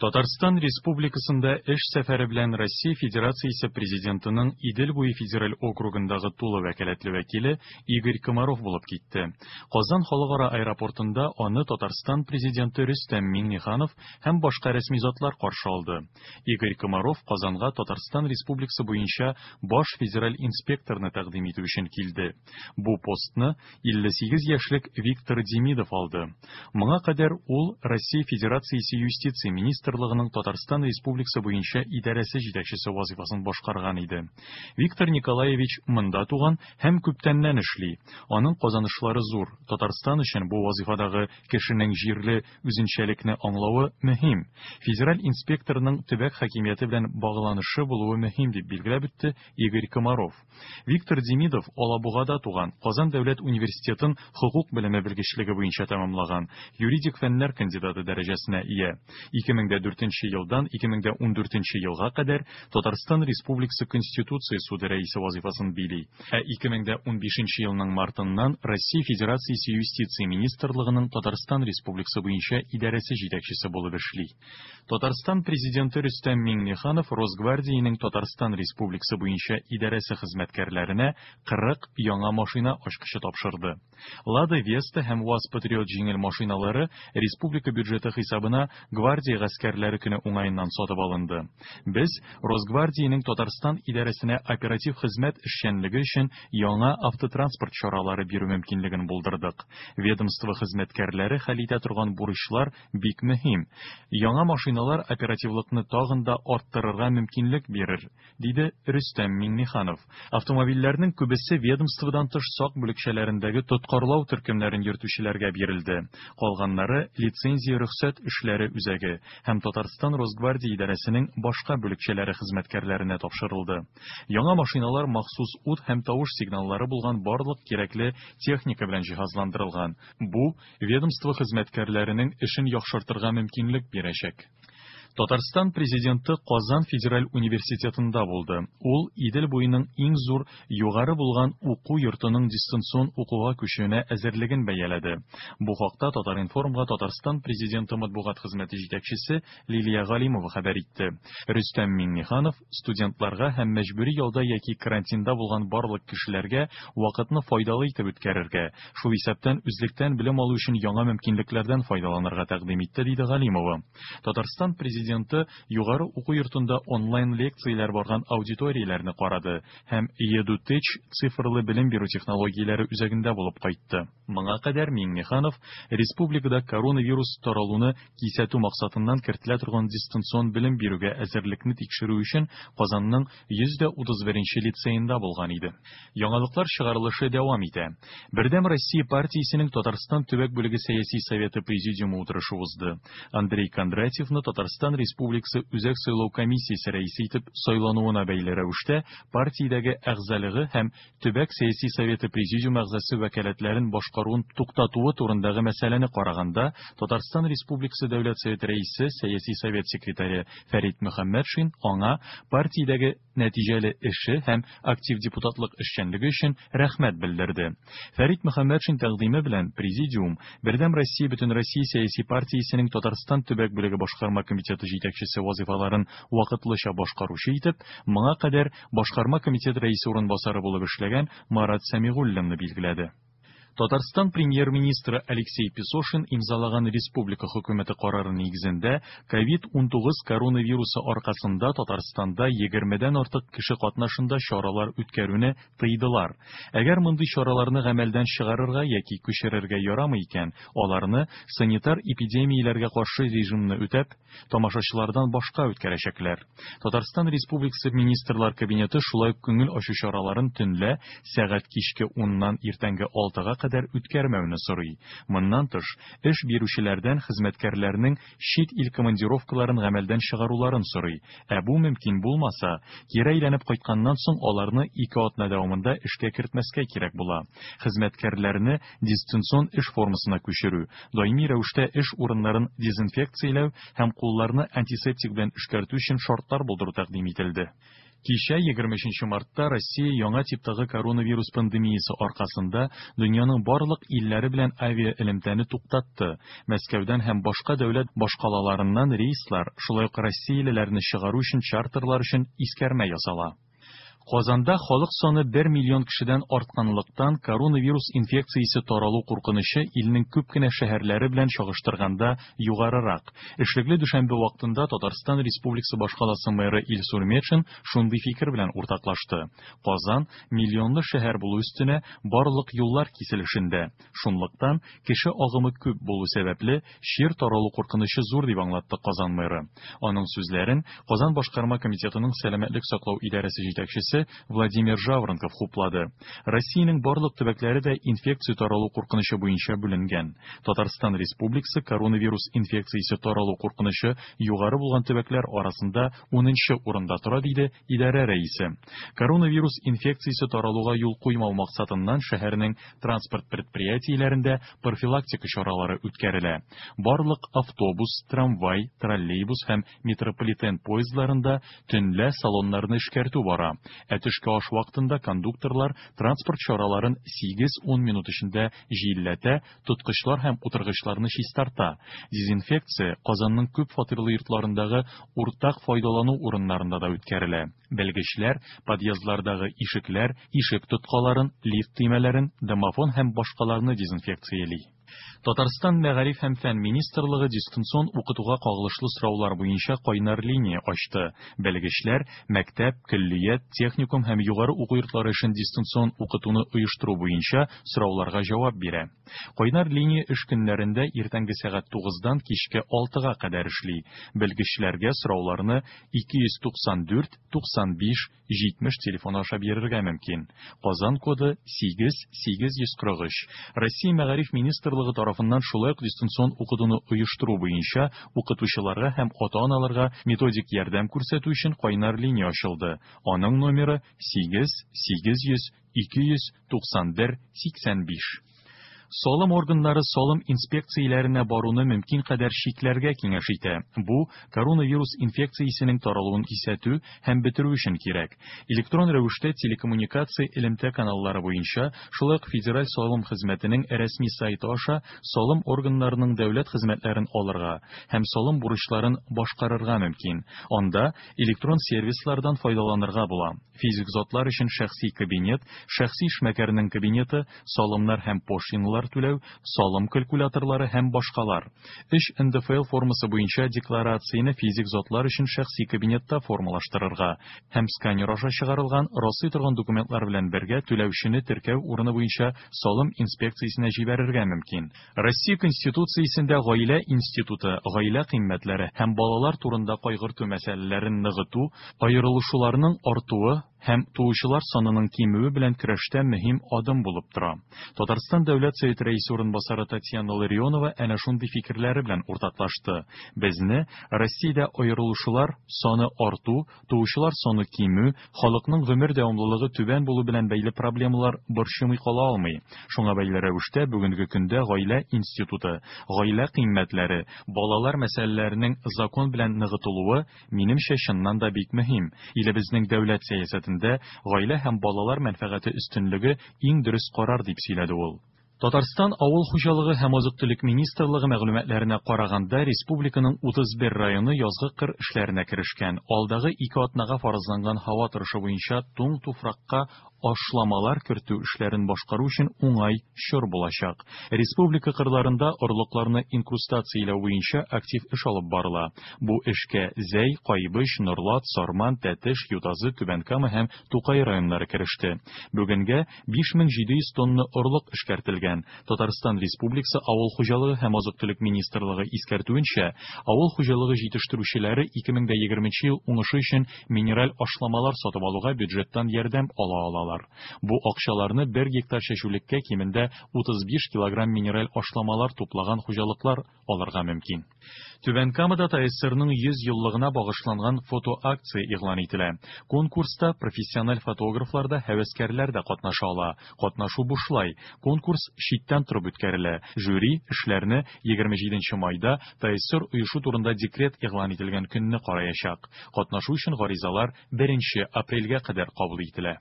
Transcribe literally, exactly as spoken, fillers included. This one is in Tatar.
Татарстан Республикасында эш сәфәре белән Россия Федерациясе Президентының Идел буе федераль округындагы тулы вәкаләтле вәкиле Игорь Комаров булып китте. Казан халыкара аэропортында аны Татарстан Президенты Рөстәм Миңнеханов һәм башка рәсми затлар каршы алды. Игорь Комаров Казанга Татарстан Республикасы буенча баш федераль инспекторны тәкъдим итү өчен килде. Бу постны илле сигез яшьлек Виктор Демидов алды. Моңа кадәр ул Россия Федерациясе юстиция министрлыгының Татарстан Республикасы буенча идарәсе җитәкчесе вазифасын башкарган иде. Виктор Николаевич монда туган һәм күптәннән эшли. Аның казанышлары зур. Татарстан өчен бу вазифадагы кешенең җирле үзенчәлекне аңлавы мөһим. Федераль инспекторның төбәк хакимияте белән багланышы булуы мөһим, дип билгеләп үтте Игорь Комаров. Виктор Демидов Алабугада туган, Казан дәүләт университетын хокук белеме белгечлеге буенча тәмамлаган, юридик фәннәр кандидаты дәрәҗәсенә ия. ике мең дә дүртенче елдан ике мең дә ундүртенче елга кадәр Татарстан Республикасы Конституция суды рәисе вазифасын били. Ә ике мең дә унбишенче елның мартыннан Россия Федерациясе Юстиция Министрлыгының Татарстан Республикасы буенча идарәсе җитәкчесе булып эшли. Татарстан Президенты Рөстәм Миңнеханов Росгвардиянең Татарстан Республикасы буенча идарәсе хезмәткәрләренә кырык яңа машина ачкычы тапшырды. Лада Веста һәм УАЗ Патриот җиңел машиналары республика бюджеты хисабына гвардия гаскәрләре көне уңаеннан сатып алынды. Без Росгвардиянең Татарстан идарәсенә оператив хезмәт эшчәнлеге өчен яңа автотранспорт чаралары бирү мөмкинлеген булдырдык. Ведомство хезмәткәрләре хәл итә торган бурычлар бик мөһим. Яңа машиналар оперативлыкны тагын да арттырырга мөмкинлек бирер, диде Рөстәм Миңнеханов. Автомобильләрнең күбесе ведомстводан тыш сак бүлекчәләрендәге тоткарлау төркемнәрен йөртүчеләргә бирелде. Калганнары лицензия рөхсәт эшләре үзәге һәм Татарстан Росгвардия идарәсенең башка бүлекчәләре хезмәткәрләренә тапшырылды. Яңа машиналар махсус ут һәм тавыш сигналлары булган барлык кирәкле техника белән җиһазландырылган. Бу ведомство хезмәткәрләренең эшен яхшыртырга мөмкинлек бирәчәк. Татарстан Президенты Казан федераль университетында булды. Ул Идел буеның иң зур югары булган уку йортының дистанцион укуга күчүенә әзерлеген бәяләде. Бу хакта Татар-информга Татарстан Президенты матбугат хезмәте җитәкчесе Лилия Галимова хәбәр итте. Рөстәм Миңнеханов студентларга һәм мәҗбүри ялда яки карантинда булган барлык кешеләргә вакытны файдалы итеп үткәрергә, шул исәптән үзлектән белем алу өчен яңа мөмкинлекләрдән файдаланырга тәкъдим итте, диде Галимова. Татарстан Президенты югары уку йортында онлайн лекцияләр барган аудиторияләрне карады һәм EduTech цифрлы белем бирү технологияләре үзәгендә булып кайтты. Моңа кадәр Миңнеханов республикада коронавирус таралуны кисәтү максатыннан кертелә торган дистанцион белем бирүгә әзерлекне тикшерү өчен Казанның йөз дә утыз беренче лицейында булган иде. Яңалыклар чыгарылышы дәвам итә. Бердәм Россия партиясенең Татарстан төбәк бүлеге сәяси советы президиумы утырышы узды. Андрей Кондратьевны Татарстан Республикасы Үзәк сайлау комиссиясе рәисе итеп сайлануына бәйле рәвештә партиядәге әгъзалыгы һәм төбәк сәяси советы президиум әгъзасы вәкаләтләрен башкаруын туктатуы турындагы мәсьәләне караганда Татарстан Республикасы Дәүләт Советы рәисе, сәяси совет секретаре Фәрит Мөхәммәтшин аңа партиядәге нәтиҗәле эше һәм актив депутатлык эшчәнлеге өчен рәхмәт белдерде. Фәрит Мөхәммәтшин тәкъдиме белән президиум Бердәм Россия Бөтенроссия сәяси партиясенең Татарстан төбәк бүлеге башкарма комитеты җитәкчесе вазифаларын вакытлыча башкаручы итеп, моңа кадәр башкарма комитет рәисе урынбасары булып эшләгән Марат Сәмигуллинны билгеләде. Татарстан премьер-министры Алексей Песошин имзалаган республика хөкүмәте карары нигезендә ковид унтугыз коронавирусы аркасында Татарстанда егермедән артык кеше катнашында чаралар үткәрүне тыйдылар. Әгәр мондый чараларны гамәлдән чыгарырга яки күчерергә ярамый икән, аларны санитар эпидемияләргә каршы режимны үтәп, тамашачылардан башка үткәрәчәкләр. Татарстан Республикасы Министрлар Кабинеты шулай ук күңел ачу чараларын төнлә сәгать кичке уннан иртәнге алтыга кадәр үткәрмәүне сорый. Моннан тыш, эш бирүчеләрдән хезмәткәрләрнең чит ил командировкаларын гамәлдән чыгаруларын сорый. Ә бу мөмкин булмаса, кире әйләнеп кайтканнан соң аларны ике атна дәвамында эшкә кертмәскә кирәк була. Хезмәткәрләрне дистанцион эш формасына күчерү, даими рәвештә эш урыннарын дезинфекцияләү һәм кулларны антисептик белән эшкәртү өчен шартлар булдыру тәкъдим ителде. Кичә егерме өченче мартта Россия яңа типтагы коронавирус пандемиясе аркасында дөньяның барлык илләре белән авиаэлемтәне туктатты. Мәскәүдән һәм башка дәүләт башкалаларыннан рейслар, шулай ук россиялеләрне чыгару өчен чартерлар өчен искәрмә ясала. Казанда халык саны бер миллион кешедән артканлыктан, коронавирус инфекциясе таралу куркынычы илнең күп кенә шәһәрләре белән чагыштырганда югарырак. Эшлекле дүшәмбе вакытында Татарстан Республикасы башкаласы мэры Илсур Метшин шундый фикер белән уртаклашты. Казан миллионлы шәһәр булу өстенә барлык юллар киселешендә. Шунлыктан кеше агымы күп булу сәбәпле чир таралу куркынычы зур дип аңлатты Казан мэры. Аның сүзләрен Казан башкарма комитетының сәламәтлек саклау идарәсе җитәкчесе Владимир Жаворонков хуплады. Россиянең барлык төбәкләре дә инфекция таралу куркынычы буенча бүленгән. Татарстан Республикасы коронавирус инфекциясе таралу куркынычы югары булган төбәкләр арасында унынчы урында тора, диде идарә рәисе. Коронавирус инфекциясе таралуга юл куймау максатыннан шәһәрнең транспорт предприятиеләрендә профилактика чаралары үткәрелә. Барлык автобус, трамвай, троллейбус һәм метрополитен поездларында төнлә салоннарны эшкәртү бара. Ә төшке аш вакытында кондукторлар транспорт чараларын сигез-ун минут эчендә җилләтә, тоткычлар һәм утыргычларны чистарта. Дезинфекция Казанның күп фатирлы йортларындагы уртак файдалану урыннарында да үткәрелә. Белгечләр подъездлардагы ишекләр, ишек тоткаларын, лифт төймәләрен, домофон һәм башкаларны дезинфекцияли. Татарстан Мәгариф һәм фән министрлыгы дистанцион укытуга кагылышлы сораулар буенча кайнар линия ачты. Белгечләр мәктәп, көллият, техникум һәм югары уку йортлары өчен дистанцион укытуны оештыру буенча сорауларга җавап бирә. Кайнар линия эш көннәрендә иртәнге сәгать тугыздан кичке алтыга кадәр эшли. Белгечләргә сорауларны ике йөз туксан дүрт, туксан биш, җитмеш телефоны аша бирергә мөмкин. Казан коды сигез, сигез йөз кырык өч. Россия Мәгариф министрлыгы тарафыннан шулай ук дистанцион укытуны оештыру буенча укытучыларга һәм ата-аналарга методик ярдәм күрсәтү өчен кайнар линия ачылды. Аның номеры сигез, сигез йөз, ике йөз туксан бер, сиксән биш. Салым органнары салым инспекцияләренә баруны мөмкин кадәр чикләргә киңәш итә. Бу коронавирус инфекциясенең таралуын кисәтү һәм бетерү өчен кирәк. Электрон рәвештә телекоммуникация элемтә каналлары буенча, шулай ук Федераль салым хезмәтенең рәсми сайты аша салым органнарының дәүләт хезмәтләрен алырга һәм салым бурычларын башкарырга мөмкин. Анда электрон сервислардан файдаланырга була. Физик затлар өчен шәхси кабинет, шәхси эшмәкәрнең кабинеты, салымнар һәм пошлиналар түләү, салым калькуляторлары һәм башкалар. Өч эн дэ эф эл формасы буенча декларацияне физик затлар өчен шәхси кабинетта формалаштырырга һәм сканер аша чыгарылган раслый торган документлар белән бергә түләүчене теркәү урыны буенча салым инспекциясенә җибәрергә мөмкин. Россия Конституциясендә гаилә институты, гаилә кыйммәтләре һәм балалар турында кайгырту мәсьәләләрен ныгыту, аерылышуларның артуы һәм туучылар санының кимүе белән көрәштә мөһим адым булып тора. Татарстан Дәүләт Советы рәисе урынбасары Татьяна Ларионова әнә шундый фикерләре белән уртаклашты. Безне Россиядә аерылышулар саны арту, туучылар саны кимү, халыкның гомер дәвамлылыгы түбән булу белән бәйле проблемалар борчымый кала алмый. Шуңа бәйле рәвештә бүгенге көндә гаилә институты, гаилә кыйммәтләре, балалар мәсьәләләренең закон белән ныгытылуы минемчә чыннан да бик мөһим. Илебезнең дәүләт сәясәтендә гаилә һәм балалар мәнфәгате өстенлеге иң дөрес карар дип сөйләде ул. Татарстан Авыл хуҗалыгы һәм азык-төлек министрлыгы мәгълүматларына караганда, республиканың утыз бер районы язгы кыр эшләренә керешкән. Алдагы ике атнага фаразланган һава торышы буенча туң туфракка ашламалар кертү эшләрен башкару өчен уңай чор булачак. Республика кырларында орлыкларны инкрустацияләү буенча актив эш алып барыла. Бу эшкә Зәй, Кайбыч, Норлат, Сарман, Тәтеш, Ютазы, Түбән Кама һәм Тукай районнары кереште. Бүгенгә биш мең җиде йөз тонна орлык эшкәртелгән. Татарстан Республикасы Авыл хуҗалыгы һәм азык-төлек министрлыгы искәртүенчә, авыл хуҗалыгы җитештерүчеләре ике мең дә егерменче ел уңышы өчен минераль ашламалар сатып алуга бюджеттан ярдәм ала алалар. алалар. Бу акчаларны бер гектар чәчүлеккә кимендә утыз биш килограмм минераль ашламалар туплаган хуҗалыклар алырга мөмкин. Түбән Камада ТАССРның йөз еллыгына багышланган фотоакция игълан ителә. Конкурста профессиональ фотографлар да, һәвәскәрләр дә катнаша ала. Катнашу бушлай. Конкурс читтән торып үткәрелә. Жюри эшләрне егерме җиденче майда, ТАССР оешу турында декрет игълан ителгән көнне караячак. Катнашу өчен гаризалар беренче апрельгә кадәр кабул ителә.